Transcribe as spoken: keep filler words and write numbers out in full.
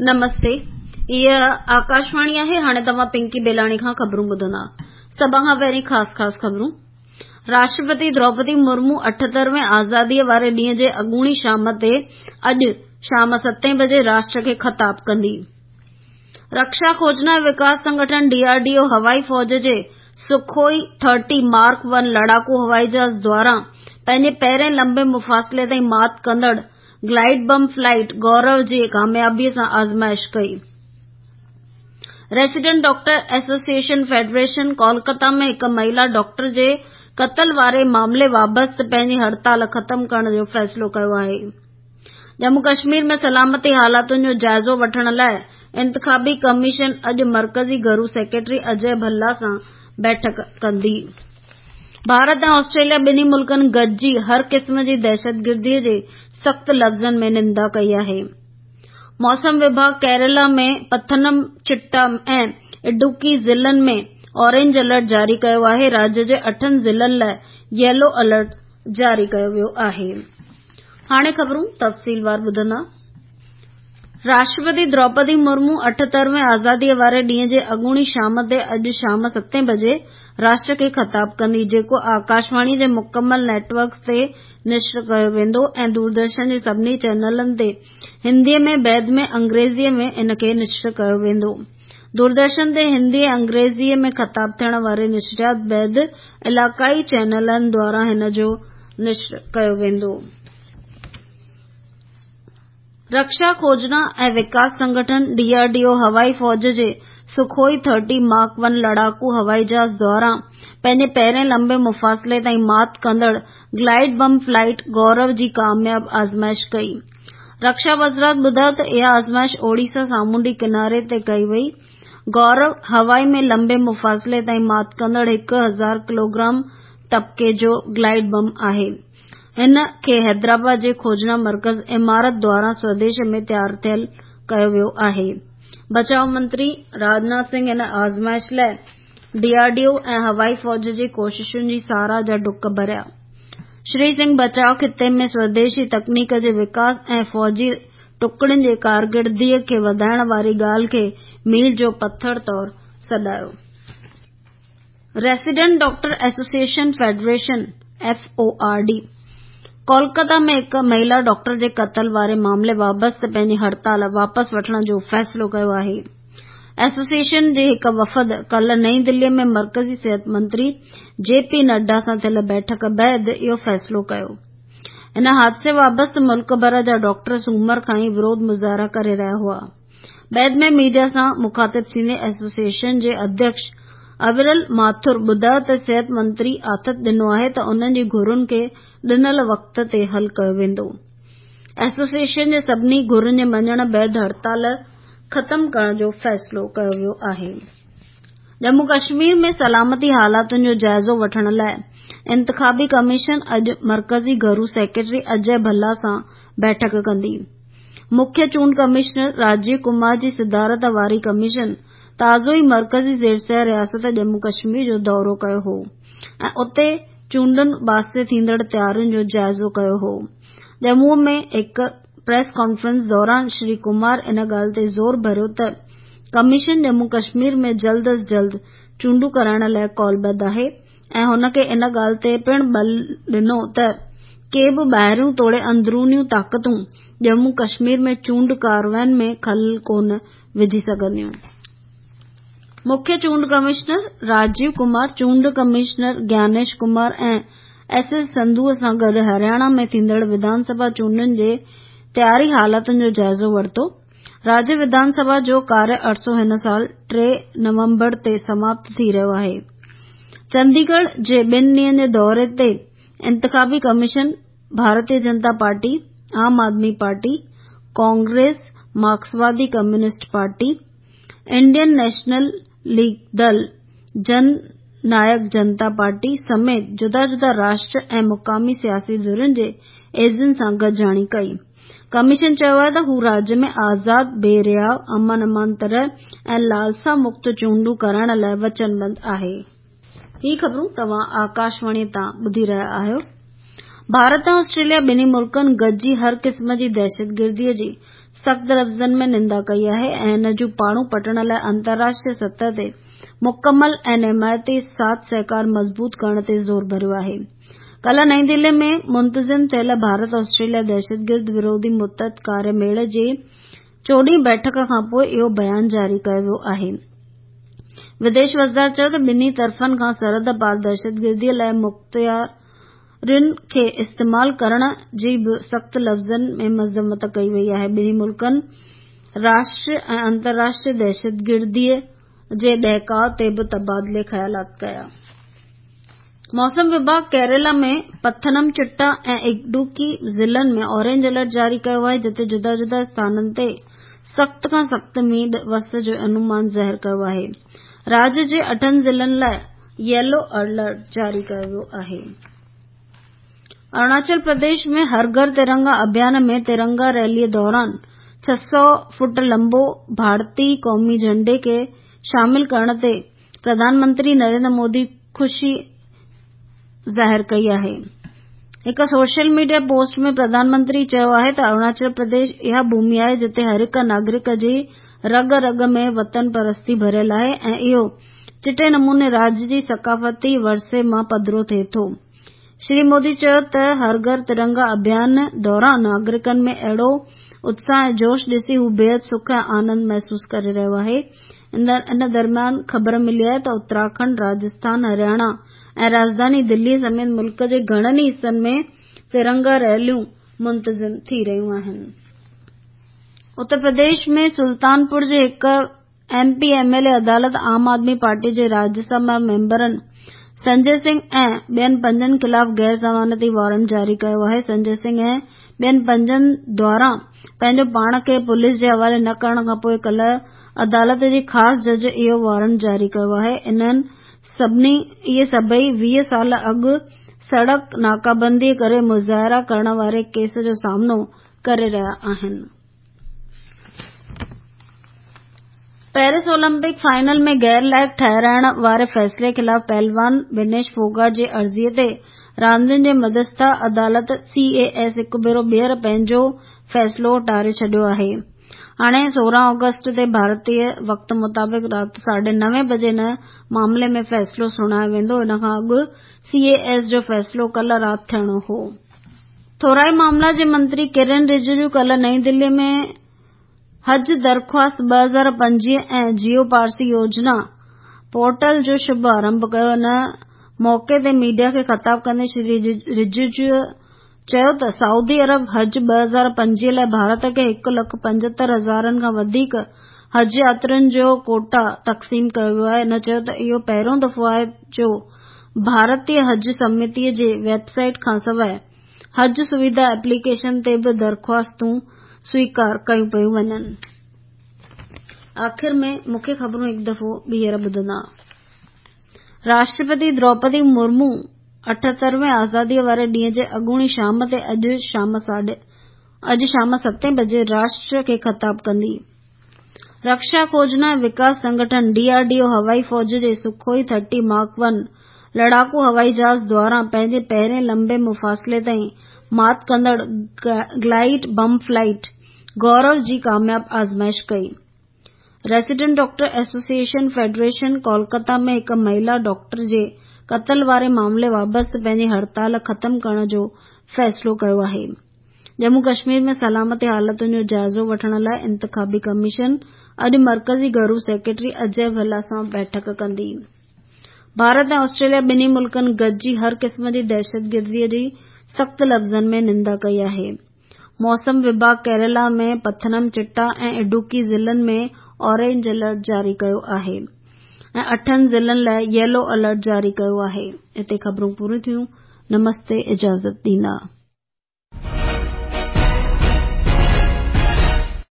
نمستي، هيء آڪاشواڻي آهي. هاڻي توهان پنڪي بيلاڻي کان خبرون ٻڌندا. سڀ کان پهرين خاص خاص خبرون. راشٽرپتي دروپدي مرمو اٺهترهين آزاديء واري ڏينهن جي اڳوڻي شام تي اڄ شام ستين بجي راشٽر کي خطاب ڪندي. رڪشا کوجنا ۽ وڪاس سنگٺن ڊي آر ڊي او هوائي فوج جي سخوئي ٿرٽي مارڪ ون لڙاڪو هوائي جهاز دواران پنهنجي پهرين لمبي مفاصلي تائين مات ڪندڙ گلائيڊ بم فلائيٽ گورو جي ڪاميابيء سان آزمائش ڪئي. Resident doctor association federation Kolkata ۾ هڪ مهيلا ڊاڪٽر جي قتل واري معاملي وابسته پنهنجي هڙتال ختم ڪرڻ جو فيصلو ڪيو آهي. ڄمون ڪشمير ۾ سلامتي حالاتن جو جائزو وٺڻ لاءِ انتخابي ڪميشن اڄ مرڪزي گهرو سيڪريٽري اجي ڀلا سان بيٺڪ ڪندي. ڀارت ۽ آسٽريليا ٻنهي ملڪن گڏجي هر قسم جي دهشتگردي جي سخت لفظن ۾ نندا ڪئي آهي. موسم وڀاڳ ڪيرالا ۾ پٿنم چٽا ۽ اڊوڪي ضلعن ۾ اورينج الرٽ جاري ڪيو آهي. راجيه جي اٺن ضلعن لاءِ ييلو الرٽ جاري ڪيو ويو آهي. هاڻي خبرون تفصيلوار ٻڌندا. راشٽرپتي دروپدي مرمو اٺهترهين آزاديء واري ڏينهن جي اڳوڻي شام تي اڄ شام ستين بجي راشٽر کي خطاب ڪندي، جيڪو آڪاشواڻي جي مڪمل نيٽ ورڪ تي نشر ڪيو ويندو ۽ دوردرشن جي سڀني چينلن تي هنديء ۾ بعد ۾ انگريزيء ۾ ان کي نشر ڪيو ويندو. دوردرشن تي هندي ۽ انگريزيء ۾ خطاب ٿيڻ واري نشريات بعد علائقائي چينلن دواران هن جو نشر ڪيو ويندو. رڪشا کوجنا ۽ وڪاس سنگٺن ڊي آر ڊي او هوائي فوج جي سخوئي ٿرٽي مارڪ ون لڙاڪو هوائي جهاز دواران پنهنجي پهرين لمبي مفاصلي تائين مات ڪندڙ گلائيڊ بم فلائيٽ گورو جي ڪامياب آزمائش ڪئي. رڪشا وزارت ٻڌايو ته اها آزمائش اوڙيسا سامونڊي ڪناري تي ڪئي وئي. گورو هوائي ۾ لمبي مفاصلي تائين مات ڪندڙ هڪ هزار ڪلوگرام طبقي جو گلائيڊ بم آهي. هن کي حيدرآباد جي کوجنا مرڪز عمارت دواران سوديش ۾ تيار ٿيل ڪيو ويو آهي. بچاءُ منتري راجناٿ سنگهه هن آزمائش لاءِ ڊي آر ڊي او ۽ هوائي فوج جي ڪوششن جي ساراهه جا ڊڪ ڀريا. شري سنگهه بچاءُ خطي ۾ سوديشي تڪنيڪ جي وڪاس ۽ فوجي ٽڪڙين جي ڪارڪردگيءَ کي وڌائڻ واري ڳالهه کي ميل جو پٿر طور سڏايو. Resident doctor association federation F O R D Kolkata ۾ هڪ مهيلا ڊاڪٽر جي قتل واري معاملي وابسته پنهنجي هڙتال واپس وٺڻ جو فيصلو ڪيو آهي. ايسوسيئيشن جي هڪ وفد ڪالهه نئين دلي ۾ مرڪزي صحت منتري جي پي نڊا سان ٿيل بيٺڪ بعد اهو فيصلو ڪيو. ان حادثي وابسته ملڪ ڀر جا ڊاڪٽر سومر کان ئي وروڌ مظاهرا ڪري رهيا هئا. بعد ۾ ميڊيا سان مخاطب ٿيندي ايسوسيئيشن جي اڌيڪش اويرل ماٿر ٻڌايو ته صحت منتري آٿت ڏنو آهي ته انهن جي گهرن کي ڏنل وقت تي حل ڪيو ويندو. ايسوسيئيشن جي سڀني گهرن جي مڃڻ بعد هڙتال ختم ڪرڻ جو فيصلو ڪيو ويو آهي. ڄمون ڪشمير ۾ سلامتي حالاتن جو جائزو وٺڻ لاءِ انتخابي ڪميشن اڄ مرڪزي گهرو سيڪريٽري اجي ڀلا سان بيٺڪ ڪندي. مکيه چونڊ ڪمشنر راجيو ڪمار جي صدارت واري ڪميشن تازو ئي مرڪزي زيرسير رياست ڄمون ڪشمير جو دورو ڪيو هو ۽ اتي چونڊن واسطي ٿيندڙ تيارين جو جائزو ڪيو هو. ڄمون ۾ هڪ پريس ڪانفرنس دوران شري ڪمار ان ڳالهه تي زور ڀريو ته ڪميشن ڄمون ڪشمير ۾ جلد از جلد چونڊون ڪرائڻ لاءِ قولبڌ آهي ۽ هن کي ان ڳالهه تي پڻ ٻل ڏنو ته ڪي به ٻاهريون توڙي اندرونيون طاقتون ڄمون ڪشمير ۾ چونڊ ڪارروائين ۾ خلل ڪونه وجهي سگهنديون. مکيه چونڊ ڪمشنر راجيو ڪمار، چونڊ commissioner Gyanesh Kumar ۽ S S Sandhu سان گڏ هرياڻا ۾ ٿيندڙ وڌان سڀا چونڊن جي تياري حالتن جو جائزو ورتو. راجيه وڌان سڀا جو ڪاريه عرصو هن سال ٽي نومبر تي سماپت ٿي رهيو آهي. چنديڳڙهه جي ٻن ڏينهن جي دوري تي انتخابي ڪميشن ڀارتيه جنتا پارٽي، عام آدمي پارٽي، ڪانگريس، مارڪسوادي communist party, Indian national league Dal, جن نايڪ جنتا پارٽي سميت جدا جدا راشٽر ۽ مقامي سياسي ڌرين جي ايجنٽن سان گڏجاڻي ڪئي. ڪميشن چيو آهي ته هو راجيه ۾ آزاد، بي رياءُ، امن امان طرح ۽ لالسا مڪت چونڊون ڪرائڻ لاءِ وچنبڌ آهي. هي خبرون توهان آڪاشواڻي تان ٻڌي رهيا آهيو. ڀارت ۽ آسٽريليا ٻنهي ملڪن گڏجي هر قسم جي دهشتگردي جي سخت لفظن ۾ نندا ڪئي آهي ۽ ان جون پاڙون پٽڻ لاءِ انترراشٽريه سطح تي مڪمل ۽ حمايتي ساٿ سهڪار مضبوط ڪرڻ تي زور ڀريو آهي. ڪالهه نئين دلي ۾ منتظم ٿيل ڀارت آسٽريليا دهشتگرد وروڌي متحد ڪاريه ميڙ جي چوڏهين بيٺڪ کانپوءِ اهو بيان جاري ڪيو ويو آهي. وديش وزارت چيو ته ٻنهي طرفن کان سرحد پار دهشتگردي لاءِ مختيارين کي استعمال ڪرڻ جي به سخت لفظن ۾ مذمت ڪئي وئي آهي. ٻنهي ملڪن راشٽريه ۽ انترراشٽريه دهشتگردي جي ڏهڪاءُ تي به تبادلي خيالات ڪيا. موسم وڀاڳ ڪيرالا ۾ پٿنم چٽا ۽ اڊوڪي ضلعن ۾ اورينج الرٽ جاري ڪيو آهي، جتي جدا جدا اسٿانن تي سخت کان سخت مينهن وس جو انومان ظاهر ڪيو آهي. راجيه جي اٺن ضلعن لاءِ ييلو الرٽ جاري ڪيو ويو آهي. اروناچل پرديش ۾ هر گهر ترنگا اڀيان ۾ ترنگا ريلي دوران ڇهه سؤ فوٽ لمبو ڀارتي قومي جهنڊي کي شامل ڪرڻ تي پرڌان منتري نريندر مودي خوشي ظاهر ڪئي آهي. هڪ social media post ۾ Pradhan Mantri چيو آهي ته اروناچل پرديش اها ڀومي آهي جتي هر هڪ ناگرڪ جي رڳ رڳ ۾ وطن پرستي ڀريل آهي ۽ اهو چٽي نموني راجيه جي ثقافتي ورثي مان پڌرو ٿئي ٿو. شري مودي چيو ته هر گهر ترنگا اڀيان دوران ناگرڪن ۾ اهڙو اتساهه ۽ جوش ڏسي هو بيحد سک ۽ آنند محسوس ڪري رهيو آهي. ان درميان خبر ملي آهي ته اتراکنڊ، راجسٿان، هرياڻا ۽ راڄڌاني دلي سميت ملڪ جي گهڻن ئي حصن ۾ ترنگا ريليون منتظم ٿي رهيون آهن. اتر پرديش ۾ سلطانپور جي هڪ M P M L A عدالت عام آدمي پارٽي جي راجيه سڀا ميمبرن سنجي سنگهه ۽ ٻين پنجن خلاف غير ضمانتي وارنٽ جاري ڪيو آهي. سنجي سنگهه ۽ ٻين پنجن دواران پنهنجو پاڻ کي پوليس جي حوالي نه ڪرڻ کانپوءِ ڪالهه عدالت جي خاص جج اهو وارنٽ جاري ڪيو آهي. انهن سڀني اهي سڀئي ويهه سال اڳ سڙڪ ناڪابندي ڪري مظاهرا ڪرڻ واري ڪيس جو سامنو ڪري رهيا آهن. پيرس اولمپڪ فائنل ۾ غير لائق ٺهرائڻ واري فيصلي خلاف پهلوان ونيش ڦوگاٽ جي عرضي تي راندين جي مڌيسٿا عدالت سي اي ايس هڪ ڀيرو ٻيهر پنهنجو فيصلو ٽاري ڇڏيو آهي. هاڻي سورهن آگسٽ تي ڀارتي وقت مطابق رات ساڍي نوين بجي ان معاملي ۾ فيصلو سڻايو ويندو. ان کان اڳ سي اي ايس جو فيصلو ڪالهه رات ٿيڻو هو. ٿورائي معاملا جي منتري ڪرن رجيجو ڪالهه نئين دلي ۾ حج درخواست ٻه هزار پنجويهه ۽ جيو پارسي يوجنا پورٽل جو شڀ آرنڀ ڪيو. ان موقعي تي ميڊيا کي خطاب ڪندي شري رجيجو چيو ته سعودي عرب حج ٻه هزار پنجويهه لاءِ ڀارت کي هڪ لک پنجهتر هزارن کان وڌيڪ حج ياترين جو ڪوٽا تقسيم ڪيو ويو آهي. هن چيو ته اهو پهريون دفعو آهي جو ڀارتيه حج سمتي جي ويب سائيٽ کانسواءِ حج سوڌا ايپليڪيشن تي به درخواستون سويڪار ڪيون پيون وڃن. آخر ۾ مکيه خبرون هڪ دفعو ٻيهر ٻڌندا. راشٽرپتي دروپدي مرمو اٺهتروين آزادي واري ڏينهن جي اڳوڻي شام تي اڄ شام ساڍي اڄ شام ستين بجي راشٽر کي خطاب ڪندي. رڪشا کوجنا ۽ وڪاس سنگٺن ڊي آر ڊي او هوائي فوج جي سکوئي ٿرٽي مارڪ ون لڙاڪو هوائي جهاز دواران پنهنجي پهرين لمبي مفاصلي تائين مات ڪندڙ گلائيڊ بم فلائيٽ گورو جي ڪامياب آزمائش ڪئي. Resident doctor association federation Kolkata ۾ هڪ مهلا ڊاڪٽر جي قتل واري معاملي بابت پنهنجي هڙتال ختم ڪرڻ جو فيصلو ڪيو آهي. ڄمون ڪشمير ۾ سلامتي حالتن جو جائزو وٺڻ لاءِ انتخابي ڪميشن اڄ مرڪزي گهرو سيڪريٽري اجي ڀلا سان بيٺڪ ڪندي. ڀارت ۽ آسٽريليا ٻنهي ملڪن گڏجي هر قسم جي دهشتگردي جي سخت لفظن ۾ نندا ڪئي آهي. موسم وڀاڳ ڪيرالا ۾ پٿنم چٽا ۽ اڊوڪي ضلعن ۾ اورينج الرٽ جاري ڪيو آهي ۽ اٺن ضلعن لاءِ ييلو الرٽ جاري ڪيو آهي. هتي خبرون پوريون ٿيون. نمستي، اجازت ڏيندا.